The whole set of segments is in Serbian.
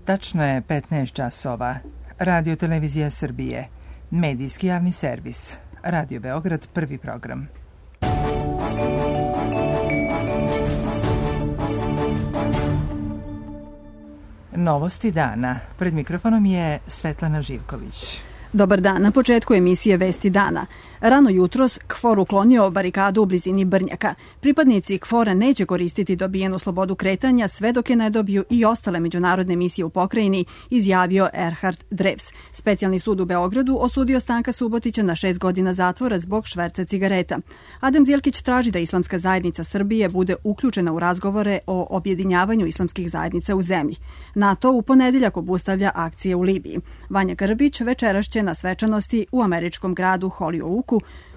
Tačno je 15 časova. Radio Televizija Srbije. Medijski javni servis. Radio Beograd, prvi program. Novosti dana. Pred mikrofonom je Svetlana Živković. Dobar dan. Na početku emisije Vesti dana. Rano jutros KFOR uklonio barikadu u blizini Brnjaka. Pripadnici KFOR-a neće koristiti dobijenu slobodu kretanja sve dok je ne dobiju i ostale međunarodne misije u pokrajini, izjavio Erhard Drews. Specijalni sud u Beogradu osudio Stanka Subotića na 6 godina zatvora zbog šverca cigareta. Adem Zilkić traži da Islamska zajednica Srbije bude uključena u razgovore o objedinjavanju islamskih zajednica u zemlji. NATO u ponedeljak obustavlja akcije u Libiji. Vanja Grbić večeras će na svečanosti u američkom gradu Hollyoaku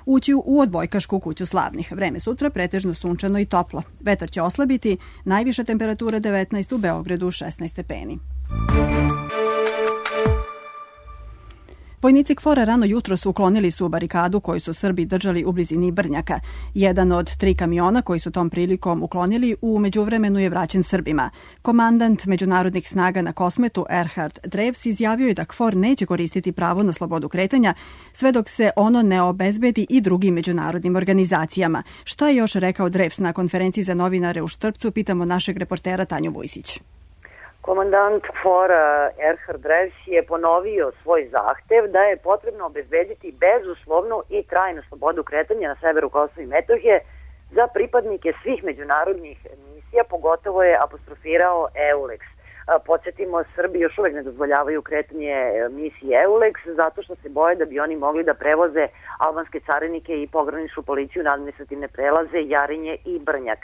ući u odbojkašku kuću slavnih. Vreme sutra pretežno sunčano i toplo. Vetar će oslabiti, najviša temperatura 19, u Beogradu 16 stepeni. Vojnici KFOR-a rano jutros uklonili su barikadu koju su Srbi držali u blizini Brnjaka. Jedan od 3 kamiona koji su tom prilikom uklonili u međuvremenu je vraćen Srbima. Komandant međunarodnih snaga na Kosmetu Erhard Drews izjavio je da KFOR neće koristiti pravo na slobodu kretanja sve dok se ono ne obezbedi i drugim međunarodnim organizacijama. Šta je još rekao Drews na konferenciji za novinare u Štrpcu, pitamo našeg reportera Tanju Vujsić. Komandant KFOR-a Erhard Drews je ponovio svoj zahtev da je potrebno obezbediti bezuslovnu i trajnu slobodu kretanja na severu Kosova i Metohije za pripadnike svih međunarodnih misija, pogotovo je apostrofirao EULEX. Podsjetimo, Srbi još uvek ne dozvoljavaju kretanje misije EULEX zato što se boje da bi oni mogli da prevoze albanske carinike i pograničnu policiju na administrativne prelaze Jarinje i Brnjak.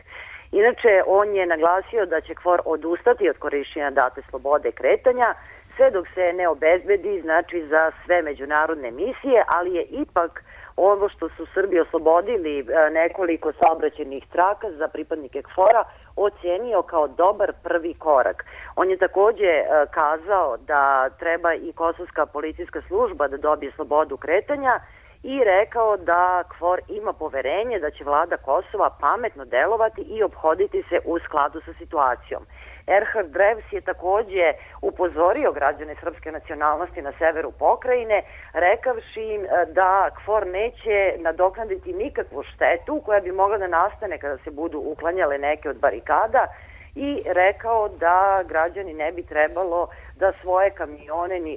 Inače, on je naglasio da će KFOR odustati od korišćenja date slobode kretanja sve dok se ne obezbedi, znači za sve međunarodne misije, ali je ipak ovo što su Srbi oslobodili nekoliko saobraćajnih traka za pripadnike KFOR-a ocenio kao dobar prvi korak. On je takođe kazao da treba i kosovska policijska služba da dobije slobodu kretanja i rekao da KFOR ima poverenje da će vlada Kosova pametno delovati i ophoditi se u skladu sa situacijom. Erhard Drews je takođe upozorio građane srpske nacionalnosti na severu pokrajine, rekavši im da KFOR neće nadoknaditi nikakvu štetu koja bi mogla da nastane kada se budu uklanjale neke od barikada, i rekao da građani ne bi trebalo da svoje kamione ni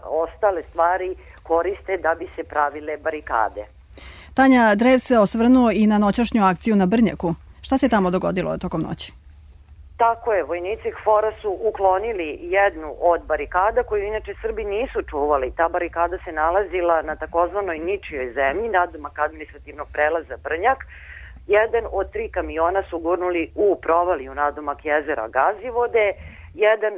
ostale stvari koriste da bi se pravile barikade. Tanja, Drews se osvrnuo i na noćašnju akciju na Brnjaku. Šta se tamo dogodilo tokom noći? Tako je, vojnici KFOR-a su uklonili jednu od barikada koju inače Srbi nisu čuvali. Ta barikada se nalazila na takozvanoj ničijoj zemlji, nadomak administrativnog prelaza Brnjak. Jedan od 3 kamiona su gurnuli u provaliju nadomak jezera Gazivode, jedan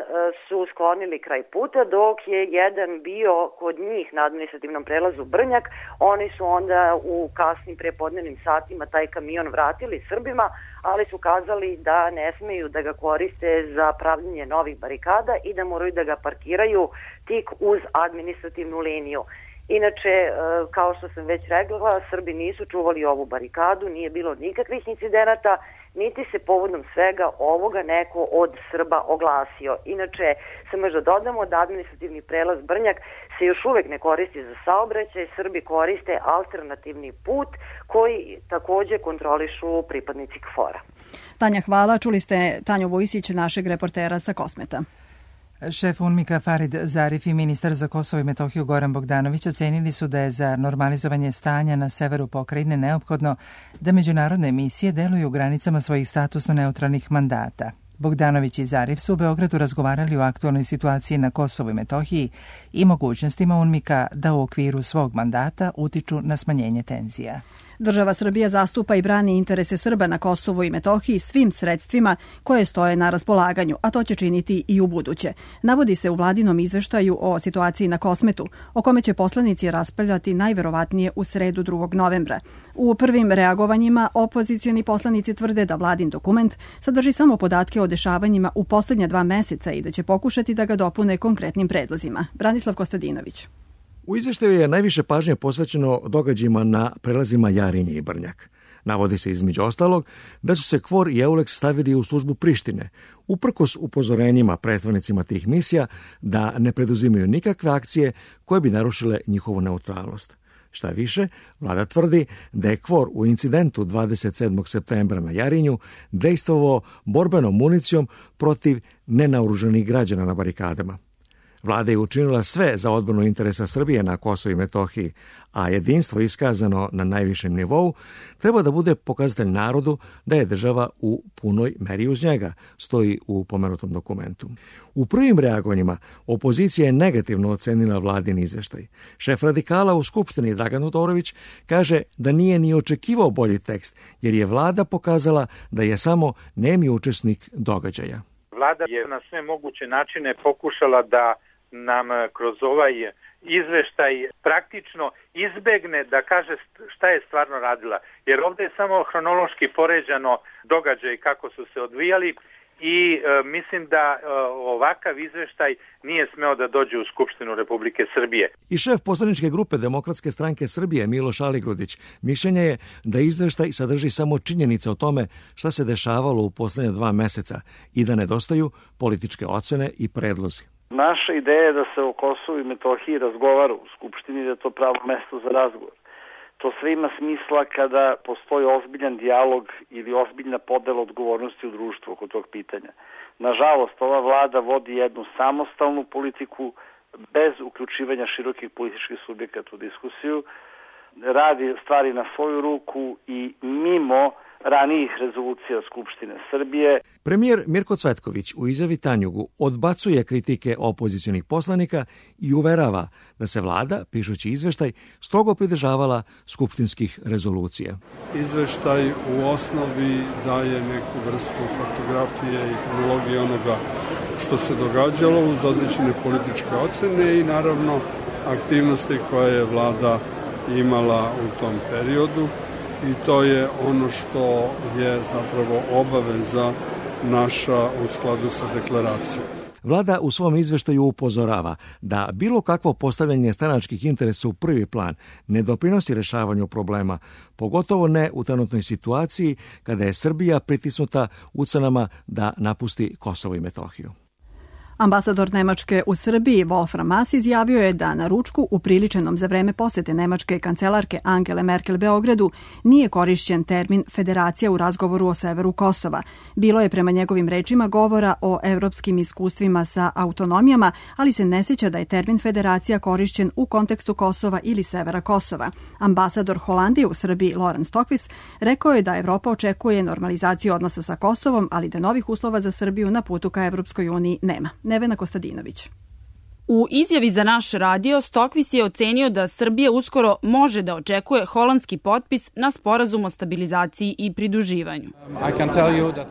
su sklonili kraj puta, dok je jedan bio kod njih na administrativnom prelazu Brnjak. Oni su onda u kasnim prepodnevnim satima taj kamion vratili Srbima, ali su kazali da ne smeju da ga koriste za pravljenje novih barikada i da moraju da ga parkiraju tik uz administrativnu liniju. Inače, kao što sam već rekla, Srbi nisu čuvali ovu barikadu, nije bilo nikakvih incidenata, niti se povodom svega ovoga neko od Srba oglasio. Inače, samo još da dodamo da administrativni prelaz Brnjak se još uvek ne koristi za saobraćaj, Srbi koriste alternativni put koji takođe kontrolišu pripadnici KFOR-a. Tanja, hvala. Čuli ste Tanju Vujsić, našeg reportera sa Kosmeta. Šef UNMIK-a Farid Zarif i ministar za Kosovo i Metohiju Goran Bogdanović ocenili su da je za normalizovanje stanja na severu pokrajine neophodno da međunarodne misije deluju u granicama svojih statusno neutralnih mandata. Bogdanović i Zarif su u Beogradu razgovarali o aktualnoj situaciji na Kosovu i Metohiji i mogućnostima UNMIK-a da u okviru svog mandata utiču na smanjenje tenzija. Država Srbija zastupa i brani interese Srba na Kosovu i Metohiji svim sredstvima koje stoje na raspolaganju, a to će činiti i u buduće. Navodi se u vladinom izveštaju o situaciji na Kosmetu, o kome će poslanici raspravljati najverovatnije u sredu 2. novembra. U prvim reagovanjima opozicioni poslanici tvrde da vladin dokument sadrži samo podatke o dešavanjima u poslednja 2 meseca i da će pokušati da ga dopune konkretnim predlozima. Branislav Kostadinović. U izveštaju je najviše pažnje posvećeno događajima na prelazima Jarinje i Brnjak. Navodi se između ostalog da su se KFOR i EULEX stavili u službu Prištine, uprkos upozorenjima predstavnicima tih misija da ne preduzimaju nikakve akcije koje bi narušile njihovu neutralnost. Šta više, vlada tvrdi da je KFOR u incidentu 27. septembra na Jarinju dejstvovao borbenom municijom protiv nenaoružanih građana na barikadama. Vlada je učinila sve za odbranu interesa Srbije na Kosovu i Metohiji, a jedinstvo iskazano na najvišem nivou treba da bude pokazatelj narodu da je država u punoj meri uz njega, stoji u pomenutom dokumentu. U prvim reagovanjima opozicija je negativno ocenila vladin izveštaj. Šef radikala u Skupštini Dragan Todorović kaže da nije ni očekivao bolji tekst, jer je vlada pokazala da je samo nemi učesnik događaja. Vlada je na sve moguće načine pokušala da nam kroz ovaj izveštaj praktično izbegne da kaže šta je stvarno radila. Jer ovdje je samo hronološki poređano događaj kako su se odvijali i mislim da ovakav izveštaj nije smeo da dođe u Skupštinu Republike Srbije. I šef poslaničke grupe Demokratske stranke Srbije Miloš Aligrudić mišljenje je da izveštaj sadrži samo činjenice o tome šta se dešavalo u poslednja 2 meseca i da nedostaju političke ocene i predlozi. Naša ideja je da se o Kosovu i Metohiji razgovara u Skupštini, da je to pravo mesto za razgovor. To sve ima smisla kada postoji ozbiljan dijalog ili ozbiljna podela odgovornosti u društvu oko tog pitanja. Nažalost, ova vlada vodi jednu samostalnu politiku bez uključivanja širokih političkih subjekata u diskusiju, radi stvari na svoju ruku i mimo ranijih rezolucija Skupštine Srbije. Premijer Mirko Cvetković u izjavi Tanjugu odbacuje kritike opozicionih poslanika i uverava da se vlada, pišući izveštaj, strogo pridržavala skupštinskih rezolucija. Izveštaj u osnovi daje neku vrstu fotografije i kronologije onoga što se događalo uz određene političke ocene i naravno aktivnosti koje je vlada imala u tom periodu. I to je ono što je zapravo obaveza naša u skladu sa deklaracijom. Vlada u svom izveštaju upozorava da bilo kakvo postavljanje stranačkih interesa u prvi plan ne doprinosi rešavanju problema, pogotovo ne u trenutnoj situaciji kada je Srbija pritisnuta ucenama da napusti Kosovo i Metohiju. Ambasador Nemačke u Srbiji Wolfram Maass izjavio je da na ručku upriličenom za vreme posete nemačke kancelarke Angele Merkel Beogradu nije korišćen termin federacija u razgovoru o severu Kosova. Bilo je prema njegovim rečima govora o evropskim iskustvima sa autonomijama, ali se ne sjeća da je termin federacija korišćen u kontekstu Kosova ili severa Kosova. Ambasador Holandije u Srbiji Laurens Stokvis rekao je da Evropa očekuje normalizaciju odnosa sa Kosovom, ali da novih uslova za Srbiju na putu ka Evropskoj uniji nema. Nevena Kostadinović. U izjavi za naš radio Stokvis je ocenio da Srbija uskoro može da očekuje holandski potpis na sporazum o stabilizaciji i pridruživanju.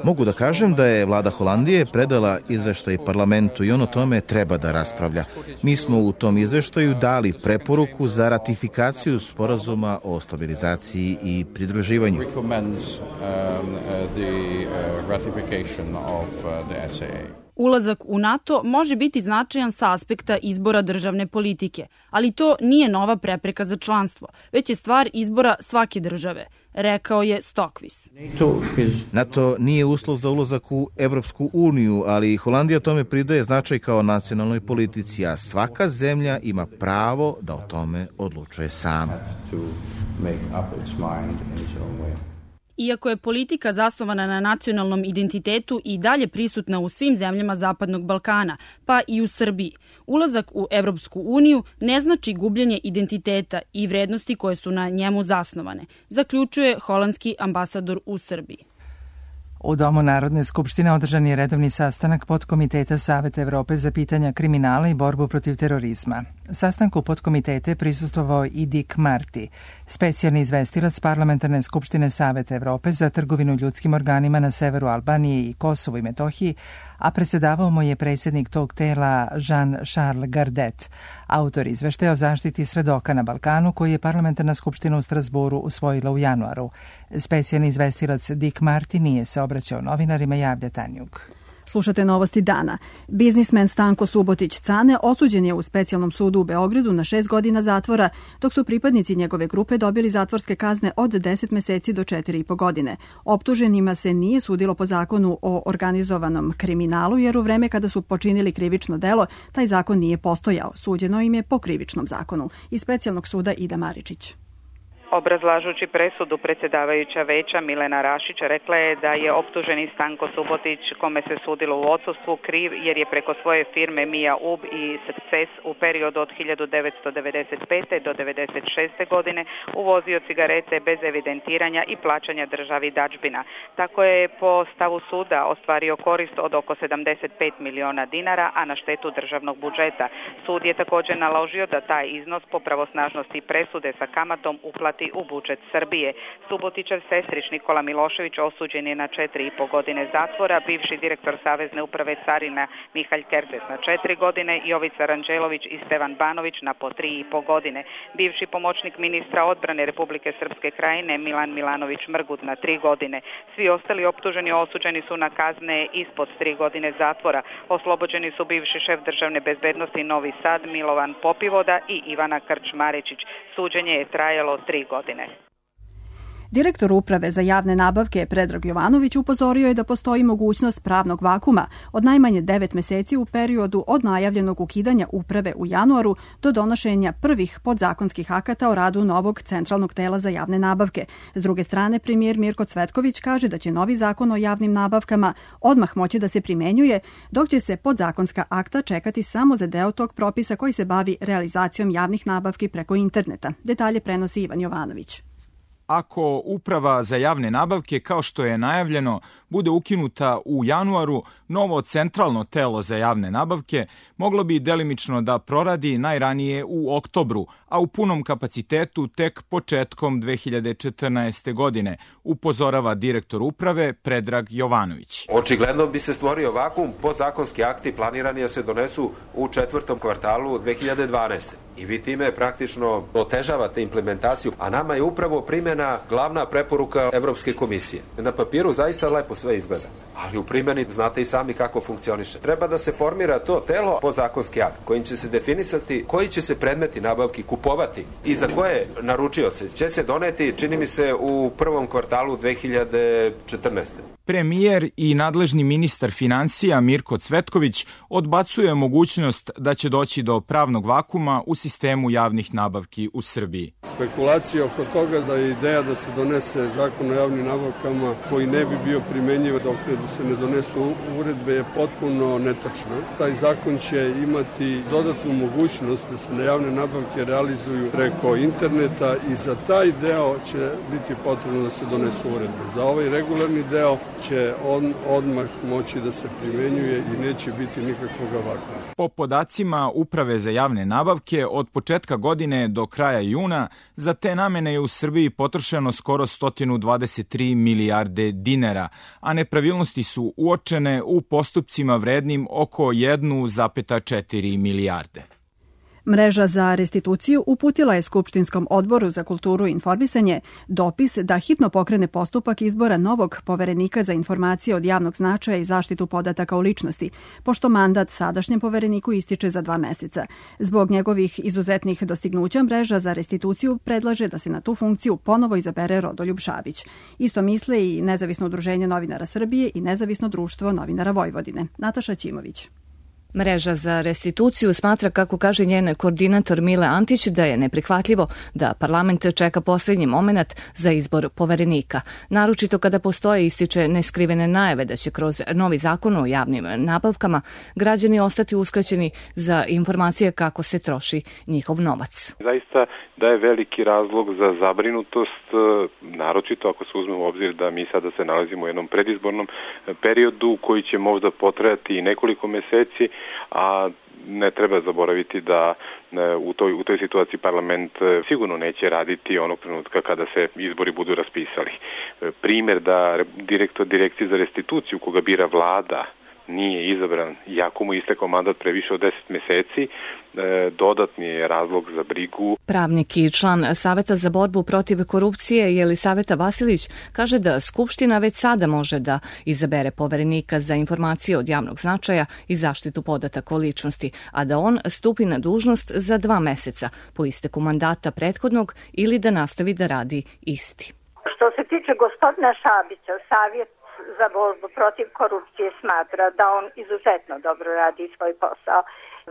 Mogu da kažem da je vlada Holandije predala izveštaj parlamentu i on o tome treba da raspravlja. Mi smo u tom izveštaju dali preporuku za ratifikaciju sporazuma o stabilizaciji i pridruživanju. Ulazak u NATO može biti značajan sa aspekta izbora državne politike, ali to nije nova prepreka za članstvo, već je stvar izbora svake države, rekao je Stokvis. NATO nije uslov za ulazak u Evropsku uniju, ali Holandija tome pridaje značaj kao nacionalnoj politici, a svaka zemlja ima pravo da o tome odlučuje sama. Iako je politika zasnovana na nacionalnom identitetu i dalje prisutna u svim zemljama Zapadnog Balkana, pa i u Srbiji, ulazak u Evropsku uniju ne znači gubljenje identiteta i vrednosti koje su na njemu zasnovane, zaključuje holandski ambasador u Srbiji. U Domu Narodne skupštine održan je redovni sastanak Podkomiteta Saveta Evrope za pitanja kriminala i borbu protiv terorizma. Sastanku podkomitete prisustvovao i Dick Marty, specijalni izvestilac Parlamentarne skupštine Saveta Evrope za trgovinu ljudskim organima na severu Albanije i Kosovu i Metohiji, a predsjedavao mu je predsjednik tog tela Jean-Charles Gardet, autor izveštaja o zaštiti svedoka na Balkanu koji je Parlamentarna skupština u Strasboru usvojila u januaru. Specijalni izvestilac Dick Marty nije se obraćao novinarima, javlja Tanjug. Slušate novosti dana. Biznismen Stanko Subotić Cane osuđen je u specijalnom sudu u Beogradu na 6 godina zatvora, dok su pripadnici njegove grupe dobili zatvorske kazne od 10 meseci do 4,5 godine. Optuženima se nije sudilo po zakonu o organizovanom kriminalu, jer u vreme kada su počinili krivično delo, taj zakon nije postojao. Suđeno im je po krivičnom zakonu. Iz specijalnog suda Ida Maričić. Obrazlažući presudu, predsjedavajuća veća Milena Rašić rekla je da je optuženi Stanko Subotić, kome se sudilo u odsustvu, kriv jer je preko svoje firme Mia UB i Success u periodu od 1995. do 1996. godine uvozio cigarete bez evidentiranja i plaćanja državi dadžbina. Tako je po stavu suda ostvario korist od oko 75 miliona dinara, a na štetu državnog budžeta. Sud je također naložio da taj iznos po pravosnažnosti presude sa kamatom uplati u budžet Srbije. Subotićev sestrić Nikola Milošević osuđen je na 4,5 godine zatvora, bivši direktor Savezne uprave carina Mihalj Kertes na 4 godine, Jovica Ranđelović i Stevan Banović na po 3,5 godine. Bivši pomoćnik ministra odbrane Republike Srpske krajine Milan Milanović Mrgut na 3 godine. Svi ostali optuženi osuđeni su na kazne ispod 3 godine zatvora. Oslobođeni su bivši šef državne bezbednosti Novi Sad Milovan Popivoda i Ivana Krčmarečić. Suđenje je trajalo 3 godine. Direktor Uprave za javne nabavke Predrag Jovanović upozorio je da postoji mogućnost pravnog vakuma od najmanje 9 meseci u periodu od najavljenog ukidanja uprave u januaru do donošenja prvih podzakonskih akata o radu novog centralnog tela za javne nabavke. S druge strane, premijer Mirko Cvetković kaže da će novi zakon o javnim nabavkama odmah moći da se primenjuje, dok će se podzakonska akta čekati samo za deo tog propisa koji se bavi realizacijom javnih nabavki preko interneta. Detalje prenosi Ivan Jovanović. Ako uprava za javne nabavke, kao što je najavljeno, bude ukinuta u januaru, novo centralno telo za javne nabavke moglo bi delimično da proradi najranije u oktobru, a u punom kapacitetu tek početkom 2014. godine, upozorava direktor uprave Predrag Jovanović. Očigledno bi se stvorio vakum, podzakonski akti planirani da se donesu u 4. kvartalu 2012. I vi time praktično otežavate implementaciju, a nama je upravo primjena glavna preporuka Evropske komisije. Na papiru zaista lepo sve izgleda, ali u primjeni znate i sami kako funkcioniše. Treba da se formira to telo podzakonski akt kojim će se definisati koji će se predmeti nabavki kupovati i za koje naručioce će se doneti, čini mi se, u 1. kvartalu 2014. Premijer i nadležni ministar finansija Mirko Cvetković odbacuje mogućnost da će doći do pravnog vakuma u sistemu javnih nabavki u Srbiji. Spekulacija oko toga da je ideja da se donese zakon o javnim nabavkama koji ne bi bio primenjiv dok se ne donesu uredbe je potpuno netačna. Taj zakon će imati dodatnu mogućnost da se na javne nabavke realizuju preko interneta i za taj deo će biti potrebno da se donesu uredbe. Za ovaj regularni deo će on odmah moći da se primenjuje i neće biti nikakvog vakuma. Po podacima Uprave za javne nabavke, od početka godine do kraja juna za te namene je u Srbiji potrošeno skoro 123 milijarde dinara, a nepravilnosti su uočene u postupcima vrednim oko 1,4 milijarde. Mreža za restituciju uputila je Skupštinskom odboru za kulturu i informisanje dopis da hitno pokrene postupak izbora novog poverenika za informacije od javnog značaja i zaštitu podataka o ličnosti, pošto mandat sadašnjem povereniku ističe za 2 meseca. Zbog njegovih izuzetnih dostignuća, Mreža za restituciju predlaže da se na tu funkciju ponovo izabere Rodoljub Šabić. Isto misle i Nezavisno udruženje novinara Srbije i Nezavisno društvo novinara Vojvodine. Nataša Ćimović. Mreža za restituciju smatra, kako kaže njen koordinator Mile Antić, da je neprihvatljivo da parlament čeka posljednji moment za izbor poverenika. Naročito kada postoje, ističe, neskrivene najave da će kroz novi zakon o javnim nabavkama građani ostati uskraćeni za informacije kako se troši njihov novac. Zaista daje veliki razlog za zabrinutost, naročito ako se uzme u obzir da mi sada se nalazimo u jednom predizbornom periodu koji će možda potrajati i nekoliko meseci, a ne treba zaboraviti da u toj situaciji parlament sigurno neće raditi onog trenutka kada se izbori budu raspisali. Primjer da direktor direkcije za restituciju koga bira vlada nije izabran, iako mu istekao mandat pre više od 10 meseci, dodatni je razlog za brigu. Pravnik i član Saveta za borbu protiv korupcije Jelisaveta Vasilić kaže da Skupština već sada može da izabere poverenika za informacije od javnog značaja i zaštitu podataka o ličnosti, a da on stupi na dužnost za 2 meseca po isteku mandata prethodnog ili da nastavi da radi isti. Što se tiče gospodina Šabića, Savjet za borbu protiv korupcije smatra da on izuzetno dobro radi svoj posao.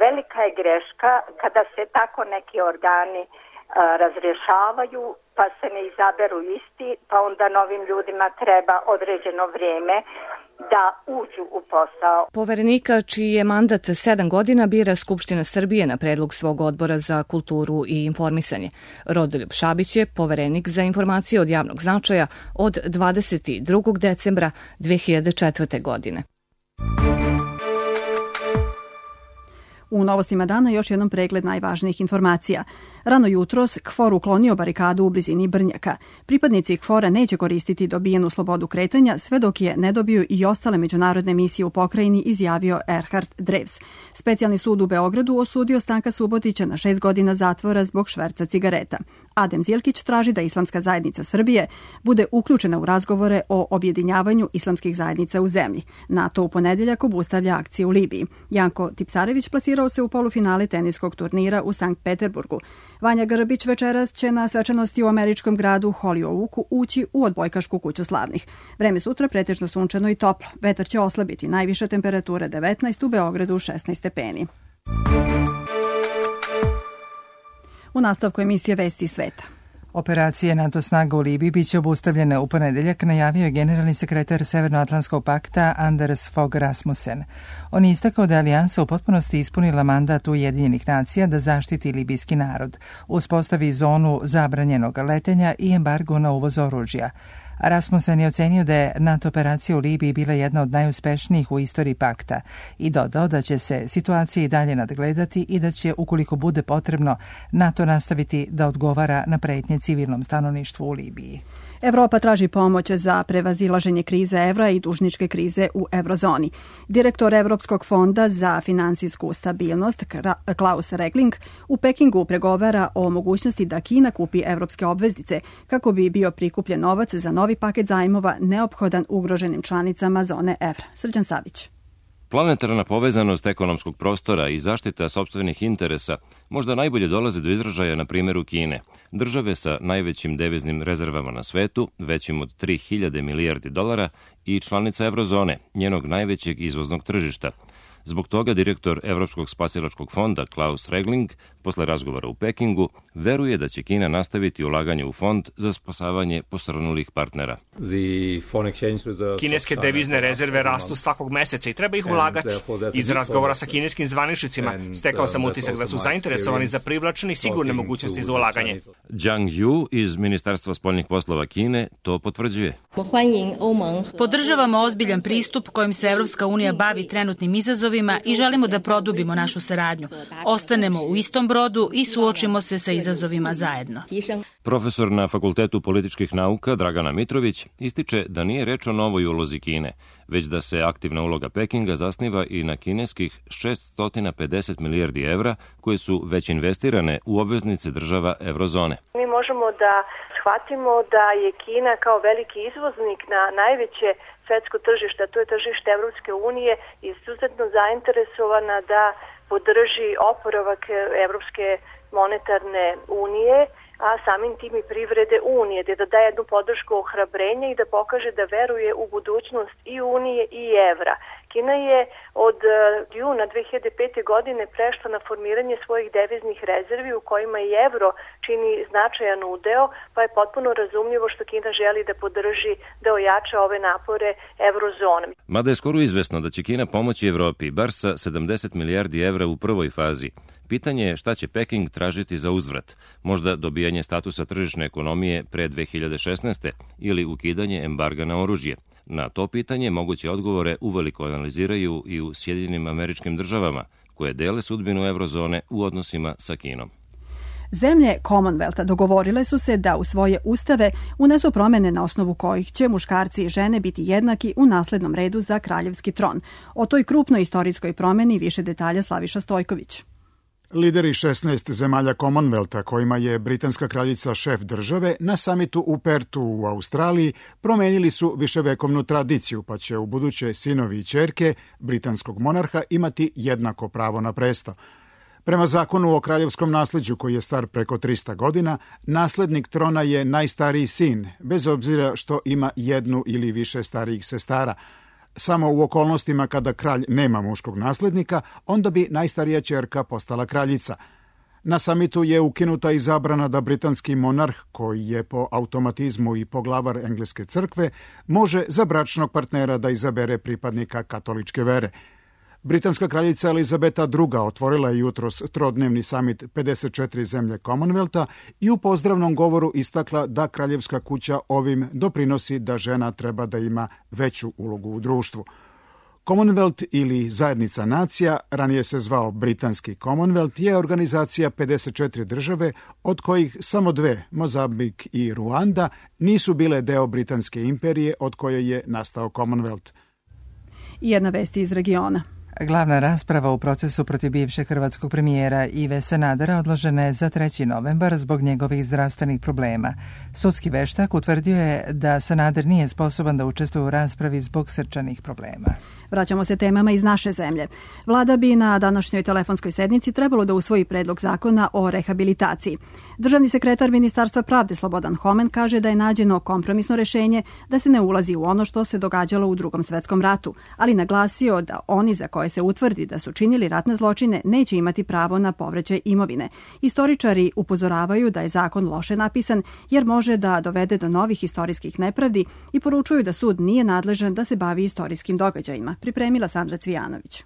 Velika je greška kada se tako neki organi razrješavaju, pa se ne izaberu isti, pa onda novim ljudima treba određeno vrijeme da uđu u posao. Poverenika čiji je mandat 7 godina bira Skupština Srbije na predlog svog odbora za kulturu i informisanje. Rodoljub Šabić je poverenik za informacije od javnog značaja od 22. decembra 2004. godine. U novostima dana još jednom pregled najvažnijih informacija. Rano jutros KFOR uklonio barikadu u blizini Brnjaka. Pripadnici KFOR-a neće koristiti dobijenu slobodu kretanja sve dok je ne dobiju i ostale međunarodne misije u pokrajini, izjavio Erhard Drews. Specijalni sud u Beogradu osudio Stanka Subotića na 6 godina zatvora zbog šverca cigareta. Adem Zilkić traži da Islamska zajednica Srbije bude uključena u razgovore o objedinjavanju islamskih zajednica u zemlji. NATO u ponedeljak obustavlja akcije u Libiji. Janko Tipsarević plasirao se u polufinale teniskog turnira u Sankt Peterburgu. Vanja Grbić večeras će na svečanosti u američkom gradu Hollyoaku ući u odbojkašku kuću slavnih. Vreme sutra pretežno sunčano i toplo. Vetar će oslabiti, najviša temperatura 19, u Beogradu 16 stepeni. U nastavku emisije Vesti sveta. Operacije NATO snaga u Libiji biće obustavljene u ponedeljak, najavio je generalni sekretar Severnoatlantskog pakta Anders Fogh Rasmussen. On je istakao da je alijansa u potpunosti ispunila mandat Ujedinjenih nacija da zaštiti libijski narod, uspostavi zonu zabranjenog letenja i embargo na uvoz oružja. Rasmussen je ocenio da je NATO operacija u Libiji bila jedna od najuspešnijih u istoriji pakta i dodao da će se situacija i dalje nadgledati i da će, ukoliko bude potrebno, NATO nastaviti da odgovara na pretnje civilnom stanovništvu u Libiji. Evropa traži pomoć za prevazilaženje krize evra i dužničke krize u eurozoni. Direktor Evropskog fonda za finansijsku stabilnost Klaus Regling u Pekingu pregovara o mogućnosti da Kina kupi evropske obveznice kako bi bio prikupljen novac za novi paket zajmova neophodan ugroženim članicama zone evra. Srđan Savić. Planetarna povezanost ekonomskog prostora i zaštita sopstvenih interesa možda najbolje dolaze do izražaja na primjeru Kine, države sa najvećim deviznim rezervama na svetu, većim od 3000 milijardi dolara i članica eurozone, njenog najvećeg izvoznog tržišta. Zbog toga direktor Evropskog spasilačkog fonda Klaus Regling, posle razgovora u Pekingu, veruje da će Kina nastaviti ulaganje u fond za spasavanje posrnulih partnera. Kineske devizne rezerve rastu svakog meseca i treba ih ulagati. Iz razgovora sa kineskim zvaničnicima stekao sam utisak da su zainteresovani za privlačne i sigurne mogućnosti za ulaganje. Zhang Yu iz Ministarstva spoljnih poslova Kine to potvrđuje. Podržavamo ozbiljan pristup kojim se Evropska unija bavi trenutnim izazovima i želimo da produbimo našu saradnju. Ostanemo u istom brodu i suočimo se sa izazovima zajedno. Profesor na Fakultetu političkih nauka Dragana Mitrović ističe da nije reč o novoj ulozi Kine, već da se aktivna uloga Pekinga zasniva i na kineskih 650 milijardi evra koje su već investirane u obveznice država eurozone. Mi možemo da shvatimo da je Kina kao veliki izvoznik na najveće svetsko tržište, to je tržište Evropske unije, izuzetno zainteresovana da podrži oporavak Evropske monetarne unije, a samim tim i privrede Unije, da daje jednu podršku ohrabrenja i da pokaže da veruje u budućnost i Unije i evra. Kina je od juna 2005. godine prešla na formiranje svojih deviznih rezervi u kojima i evro čini značajan udeo, pa je potpuno razumljivo što Kina želi da podrži, da ojača ove napore eurozone. Mada je skoro izvesno da će Kina pomoći Evropi, bar sa 70 milijardi evra u prvoj fazi. Pitanje je šta će Peking tražiti za uzvrat, možda dobijanje statusa tržišne ekonomije pre 2016. ili ukidanje embarga na oružje. Na to pitanje moguće odgovore uveliko analiziraju i u Sjedinjenim Američkim Državama, koje dele sudbinu eurozone u odnosima sa Kinom. Zemlje Commonwealtha dogovorile su se da u svoje ustave unesu promene na osnovu kojih će muškarci i žene biti jednaki u naslednom redu za kraljevski tron. O toj krupnoj istorijskoj promeni više detalja Slaviša Stojković. Lideri 16 zemalja Commonwealtha, kojima je britanska kraljica šef države, na samitu u Pertu u Australiji promenili su viševekovnu tradiciju, pa će u buduće sinovi i ćerke britanskog monarha imati jednako pravo na presto. Prema zakonu o kraljevskom nasleđu, koji je star preko 300 godina, naslednik trona je najstariji sin, bez obzira što ima jednu ili više starijih sestara. Samo u okolnostima kada kralj nema muškog naslednika, onda bi najstarija ćerka postala kraljica. Na samitu je ukinuta i zabrana da britanski monarh, koji je po automatizmu i poglavar engleske crkve, može za bračnog partnera da izabere pripadnika katoličke vere. Britanska kraljica Elizabeta II. Otvorila je jutros trodnevni samit 54 zemlje Commonwealtha i u pozdravnom govoru istakla da kraljevska kuća ovim doprinosi da žena treba da ima veću ulogu u društvu. Commonwealth ili Zajednica nacija, ranije se zvao Britanski Commonwealth, je organizacija 54 države, od kojih samo 2, Mozambik i Ruanda, nisu bile deo Britanske imperije od koje je nastao Commonwealth. Jedna vest iz regiona. Glavna rasprava u procesu protiv bivšeg hrvatskog premijera Ive Sanadera odložena je za 3. novembar zbog njegovih zdravstvenih problema. Sudski veštak utvrdio je da Sanader nije sposoban da učestvuje u raspravi zbog srčanih problema. Vraćamo se temama iz naše zemlje. Vlada bi na današnjoj telefonskoj sednici trebalo da usvoji predlog zakona o rehabilitaciji. Državni sekretar Ministarstva pravde Slobodan Homen kaže da je nađeno kompromisno rešenje da se ne ulazi u ono što se događalo u Drugom svetskom ratu, ali naglasio da oni za koje se utvrdi da su činili ratne zločine neće imati pravo na povraćaj imovine. Istoričari upozoravaju da je zakon loše napisan jer može da dovede do novih istorijskih nepravdi i poručuju da sud nije nadležan da se bavi istorijskim događajima. Pripremila Sandra Cvijanović.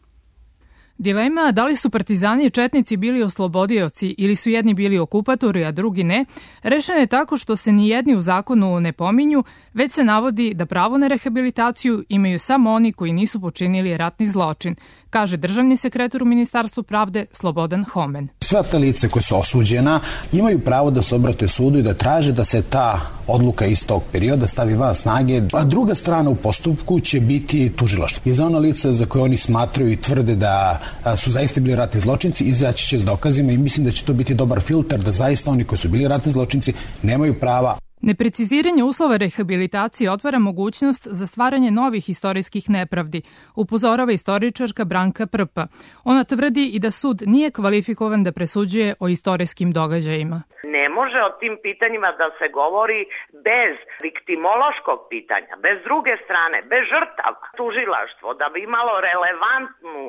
Dilema da li su partizani i četnici bili oslobodioci ili su jedni bili okupatori, a drugi ne, rešena je tako što se ni jedni u zakonu ne pominju, već se navodi da pravo na rehabilitaciju imaju samo oni koji nisu počinili ratni zločin, kaže državni sekretar u Ministarstvu pravde Slobodan Homen. Sva ta lice koje su osuđena imaju pravo da se obrate sudu i da traže da se ta odluka iz tog perioda stavi van snage, a druga strana u postupku će biti tužilaštvo. I za ona lica za koje oni smatraju i tvrde da su zaista bili ratni zločinci, izaći će s dokazima i mislim da će to biti dobar filter da zaista oni koji su bili ratni zločinci nemaju prava. Nepreciziranje uslova rehabilitacije otvara mogućnost za stvaranje novih istorijskih nepravdi, upozorava istoričarka Branka Prpa. Ona tvrdi i da sud nije kvalifikovan da presuđuje o istorijskim događajima. Ne može o tim pitanjima da se govori bez viktimološkog pitanja, bez druge strane, bez žrtava. Tužilaštvo da bi imalo relevantnu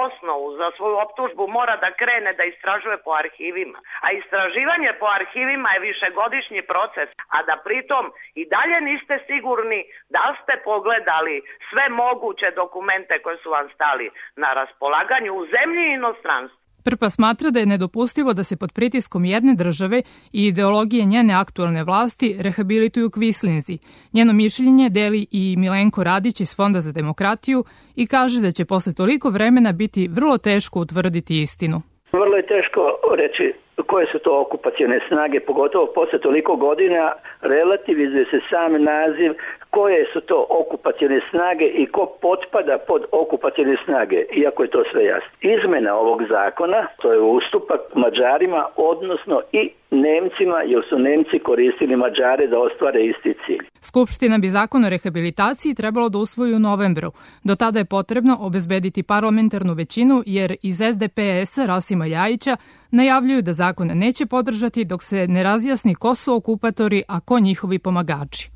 osnovu za svoju optužbu mora da krene da istražuje po arhivima. A istraživanje po arhivima je višegodišnji proces, a da pritom i dalje niste sigurni da ste pogledali sve moguće dokumente koje su vam stali na raspolaganju u zemlji i inostranstvu. Prpa smatra da je nedopustivo da se pod pritiskom jedne države i ideologije njene aktualne vlasti rehabilituju kvislinzi. Njeno mišljenje deli i Milenko Radić iz Fonda za demokratiju i kaže da će posle toliko vremena biti vrlo teško utvrditi istinu. Vrlo je teško reći koje su to okupacione snage, pogotovo posle toliko godina relativizuje se sam naziv koje su to okupacione snage i ko potpada pod okupacione snage, iako je to sve jasno. Izmena ovog zakona, to je ustupak Mađarima, odnosno i Nemcima, jer su Nemci koristili Mađare da ostvare isti cilj. Skupština bi zakon o rehabilitaciji trebalo da usvoji u novembru. Do tada je potrebno obezbediti parlamentarnu većinu, jer iz SDP-a Rasima Ljajića najavljuju da zakon neće podržati dok se ne razjasni ko su okupatori, a ko njihovi pomagači.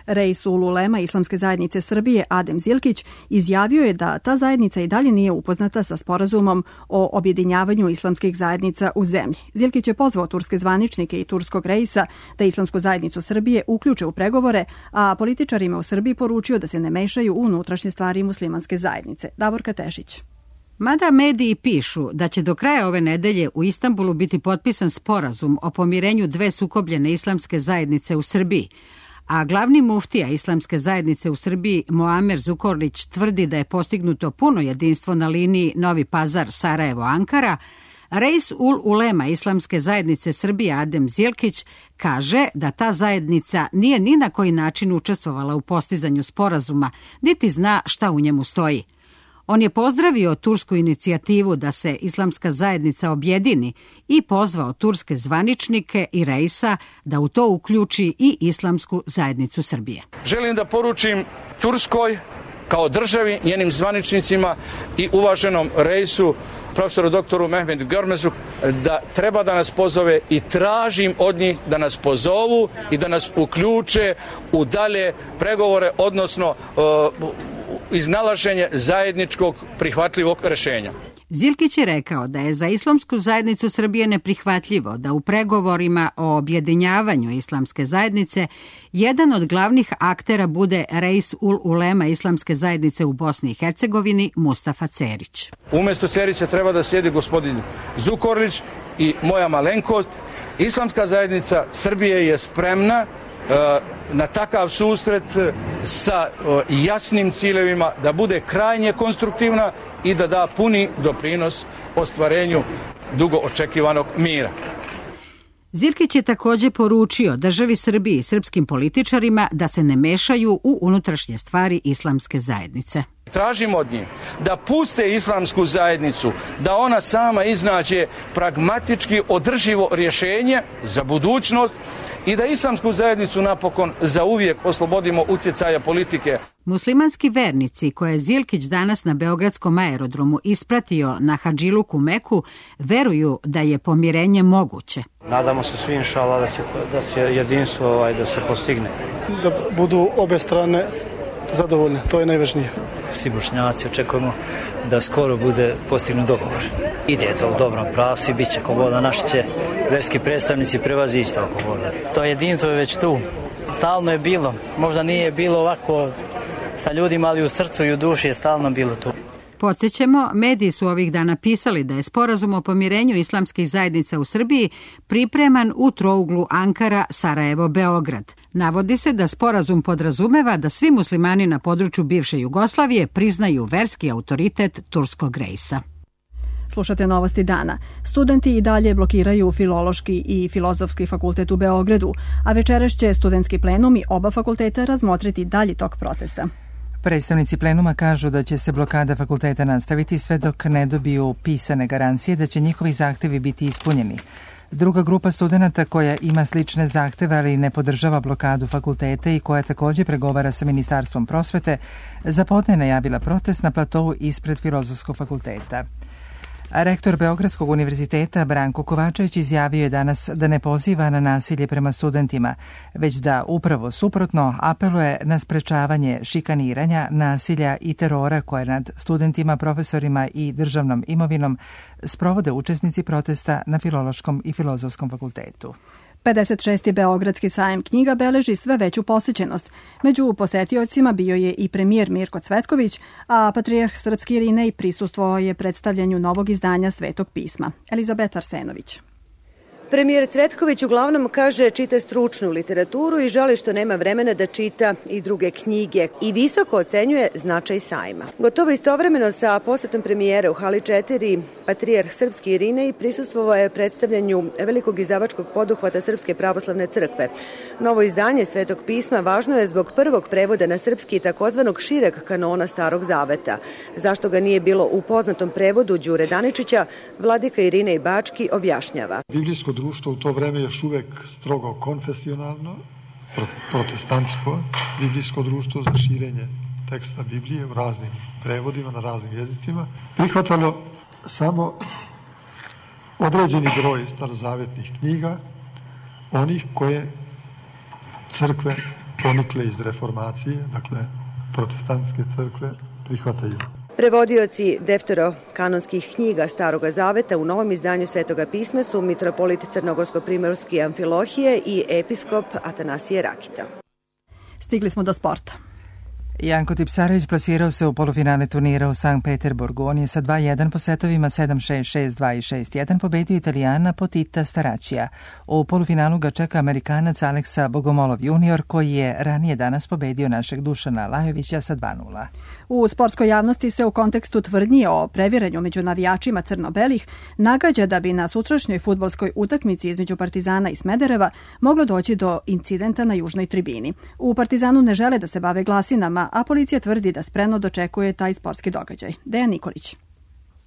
Reis Ululema Islamske zajednice Srbije Adem Zilkić izjavio je da ta zajednica i dalje nije upoznata sa sporazumom o objedinjavanju islamskih zajednica u zemlji. Zilkić je pozvao turske zvaničnike i turskog reisa da Islamsku zajednicu Srbije uključe u pregovore, a političarima u Srbiji poručio da se ne mešaju u unutrašnje stvari muslimanske zajednice. Davorka Tešić. Mada mediji pišu da će do kraja ove nedelje u Istanbulu biti potpisan sporazum o pomirenju dve sukobljene islamske zajednice u Srbiji, a glavni muftija Islamske zajednice u Srbiji Muamer Zukorlić tvrdi da je postignuto puno jedinstvo na liniji Novi Pazar-Sarajevo-Ankara, Reis ul Ulema Islamske zajednice Srbije Adem Zilkić kaže da ta zajednica nije ni na koji način učestvovala u postizanju sporazuma, niti zna šta u njemu stoji. On je pozdravio tursku inicijativu da se Islamska zajednica objedini i pozvao turske zvaničnike i reisa da u to uključi i Islamsku zajednicu Srbije. Želim da poručim Turskoj kao državi, njenim zvaničnicima i uvaženom reisu, profesoru doktoru Mehmedu Görmezu, da treba da nas pozove i tražim od njih da nas pozovu i da nas uključe u dalje pregovore, odnosno iznalaženje zajedničkog prihvatljivog rešenja. Zilkić je rekao da je za Islamsku zajednicu Srbije neprihvatljivo da u pregovorima o objedinjavanju Islamske zajednice jedan od glavnih aktera bude Reis ul Ulema Islamske zajednice u Bosni i Hercegovini Mustafa Cerić. Umesto Cerića treba da sjedi gospodin Zukorlić i moja malenkost. Islamska zajednica Srbije je spremna na takav susret sa jasnim ciljevima, da bude krajnje konstruktivna i da da puni doprinos ostvarenju dugo očekivanog mira. Zilkić je također poručio državi Srbiji i srpskim političarima da se ne mešaju u unutrašnje stvari Islamske zajednice. Tražimo od njih da puste Islamsku zajednicu, da ona sama iznađe pragmatički održivo rješenje za budućnost i da Islamsku zajednicu napokon zauvijek oslobodimo utjecaja politike. Muslimanski vernici koje je Zilkić danas na Beogradskom aerodromu ispratio na Hadžiluku Meku veruju da je pomirenje moguće. Nadamo se svi inšala da će jedinstvo da se postigne. Da budu obe strane zadovoljne, to je najvažnije. Svi Bošnjaci očekujemo da skoro bude postignut dogovor. Ide to u dobrom pravcu i bit će kogoda, naši će verski predstavnici prevazići to kogoda. To jedinstvo je već tu. Stalno je bilo, možda nije bilo ovako sa ljudima, ali u srcu i u duši je stalno bilo tu. Podsjećamo, mediji su ovih dana pisali da je sporazum o pomirenju islamskih zajednica u Srbiji pripreman u trouglu Ankara, Sarajevo, Beograd. Navodi se da sporazum podrazumeva da svi muslimani na području bivše Jugoslavije priznaju verski autoritet turskog reisa. Slušate Novosti dana. Studenti i dalje blokiraju Filološki i Filozofski fakultet u Beogradu, a večeras će studentski plenumi oba fakulteta razmotriti dalji tok protesta. Predstavnici plenuma kažu da će se blokada fakulteta nastaviti sve dok ne dobiju pisane garancije da će njihovi zahtevi biti ispunjeni. Druga grupa studenta koja ima slične zahteve, ali ne podržava blokadu fakulteta i koja također pregovara sa Ministarstvom prosvete, za podne najavila protest na platovu ispred Filozofskog fakulteta. Rektor Beogradskog univerziteta Branko Kovačević izjavio je danas da ne poziva na nasilje prema studentima, već da upravo suprotno apeluje na sprečavanje šikaniranja, nasilja i terora koje nad studentima, profesorima i državnom imovinom sprovode učesnici protesta na Filološkom i Filozofskom fakultetu. 56. Beogradski sajam knjiga beleži sve veću posjećenost. Među posetiocima bio je i premijer Mirko Cvetković, a patrijarh srpski Irinej prisustvovao je predstavljanju novog izdanja Svetog pisma. Elizabeta Arsenović. Premijer Cvetković uglavnom kaže čita stručnu literaturu i žali što nema vremena da čita i druge knjige i visoko ocenjuje značaj sajma. Gotovo istovremeno sa posetom premijera u hali 4, patrijarh srpski Irinej prisustvovao je predstavljanju velikog izdavačkog poduhvata Srpske pravoslavne crkve. Novo izdanje Svetog pisma važno je zbog prvog prevoda na srpski takozvanog šireg kanona Starog zaveta. Zašto ga nije bilo u poznatom prevodu Đure Daničića, vladika Irinej Bački objašnjava. Biblijsko društvo u to vreme još uvek strogo konfesionalno, protestantsko biblijsko društvo za širenje teksta Biblije u raznim prevodima, na raznim jezicima, prihvatalo samo određeni broj starozavetnih knjiga, onih koje crkve ponikle iz reformacije, dakle protestantske crkve prihvataju. Prevodioci defterokanonskih knjiga Staroga zaveta u novom izdanju Svetoga pisma su mitropolit Crnogorsko-primorski Amfilohije i episkop Atanasije Rakita. Stigli smo do sporta. Janko Tipsarević plasirao se u polufinale turnira u Sankt Peterburgu. On je sa 2-1 po setovima 7-6, 6-2 i 6-1 pobedio Italijana Potita Staraćija. U polufinalu ga čeka Amerikanac Aleksa Bogomolov junior, koji je ranije danas pobedio našeg Dušana Lajovića sa 2-0. U sportskoj javnosti se u kontekstu tvrdnji o previranju među navijačima crno-belih nagađa da bi na sutrašnjoj fudbalskoj utakmici između Partizana i Smedereva moglo doći do incidenta na južnoj tribini. U Partizanu ne žele da se bave glasinama, a policija tvrdi da spremno dočekuje taj sportski događaj. Dejan Nikolić.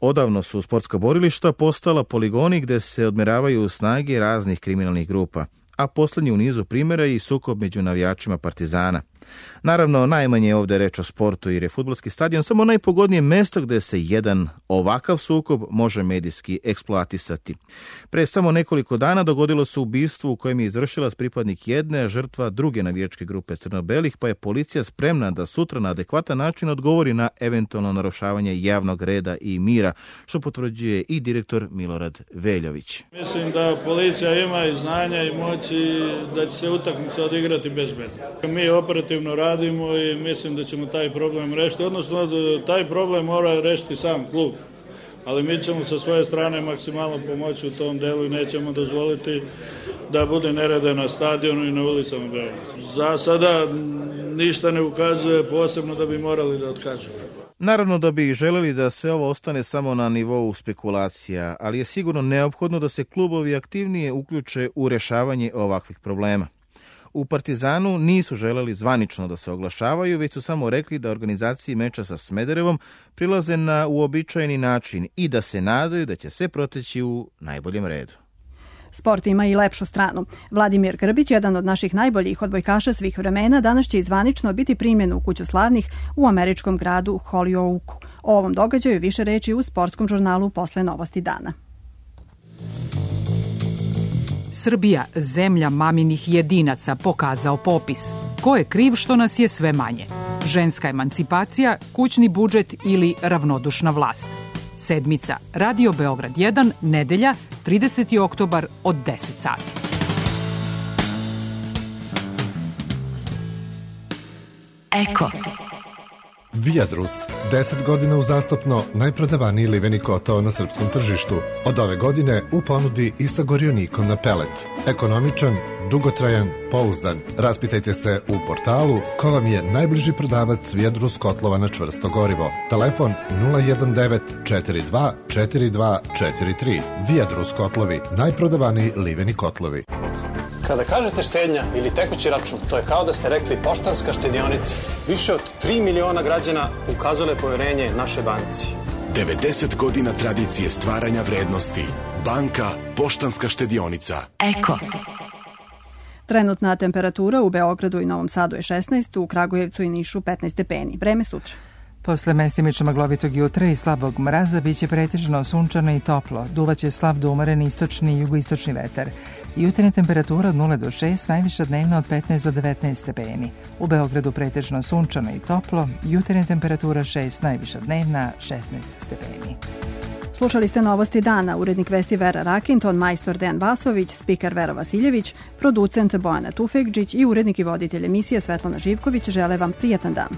Odavno su sportska borilišta postala poligoni gde se odmeravaju snage raznih kriminalnih grupa, a poslednji u nizu primjera je i sukob među navijačima Partizana. Naravno, najmanje je ovde reč o sportu jer je fudbalski stadion samo najpogodnije mesto gde se jedan ovakav sukob može medijski eksploatisati. Pre samo nekoliko dana dogodilo se ubistvo u kojem je izvršilac pripadnik jedne, a žrtva druge navijačke grupe crno-belih, pa je policija spremna da sutra na adekvatan način odgovori na eventualno narušavanje javnog reda i mira, što potvrđuje i direktor Milorad Veljović. Mislim da policija ima i znanja i moći da će se utakmica odigrati bezbedno. Mi operativno radimo i mislim da ćemo taj problem rešiti, odnosno taj problem mora rešiti sam klub, ali mi ćemo sa svoje strane maksimalno pomoći u tom delu i nećemo dozvoliti da bude nereda na stadionu i na ulicama Beograda. Za sada ništa ne ukazuje posebno da bi morali da otkažemo. Naravno da bi želeli da sve ovo ostane samo na nivou spekulacija, ali je sigurno neophodno da se klubovi aktivnije uključe u rešavanje ovakvih problema. U Partizanu nisu želeli zvanično da se oglašavaju, već su samo rekli da organizaciji meča sa Smederevom prilaze na uobičajeni način i da se nadaju da će sve proteći u najboljem redu. Sport ima i lepšu stranu. Vladimir Grbić, jedan od naših najboljih odbojkaša svih vremena, danas će zvanično biti primljen u Kuću slavnih u američkom gradu Hollyoaku. O ovom događaju više reči u sportskom žurnalu posle Novosti dana. Srbija, zemlja maminih jedinaca, pokazao popis. Ko je kriv što nas je sve manje? Ženska emancipacija, kućni budžet ili ravnodušna vlast? Sedmica, Radio Beograd 1, nedelja, 30. oktobar od 10 sati. Eko. Viadrus, 10 godina uzastopno najprodavaniji liveni kotao na srpskom tržištu. Od ove godine u ponudi i sa gorionikom na pelet. Ekonomičan, dugotrajan, pouzdan. Raspitajte se u portalu ko vam je najbliži prodavac Viadrus kotlova na čvrsto gorivo. Telefon 019 42 42 43. Viadrus kotlovi, najprodavaniji liveni kotlovi. Kada kažete štednja ili tekući račun, to je kao da ste rekli Poštanska štedionica. Više od 3 miliona građana ukazale poverenje našoj banci. 90 godina tradicije stvaranja vrednosti. Banka Poštanska štedionica. Eko. Trenutna temperatura u Beogradu i Novom Sadu je 16, u Kragujevcu i Nišu 15 stepeni. Vreme sutra. Posle mestimično maglovitog jutra i slabog mraza biće pretežno sunčano i toplo. Duvaće slab do umeren istočni i jugoistočni vetar. Jutarnja temperatura od 0 do 6, najviša dnevna od 15 do 19 stepeni. U Beogradu pretežno sunčano i toplo. Jutarnja temperatura 6, najviša dnevna 16 stepeni. Slušali ste Novosti dana, urednik vesti Vera Rakinton, majstor Dejan Vasović, spiker Vera Vasiljević, producent Bojana Tufekđić i urednik i voditelj emisije Svetlana Živković žele vam prijatan dan.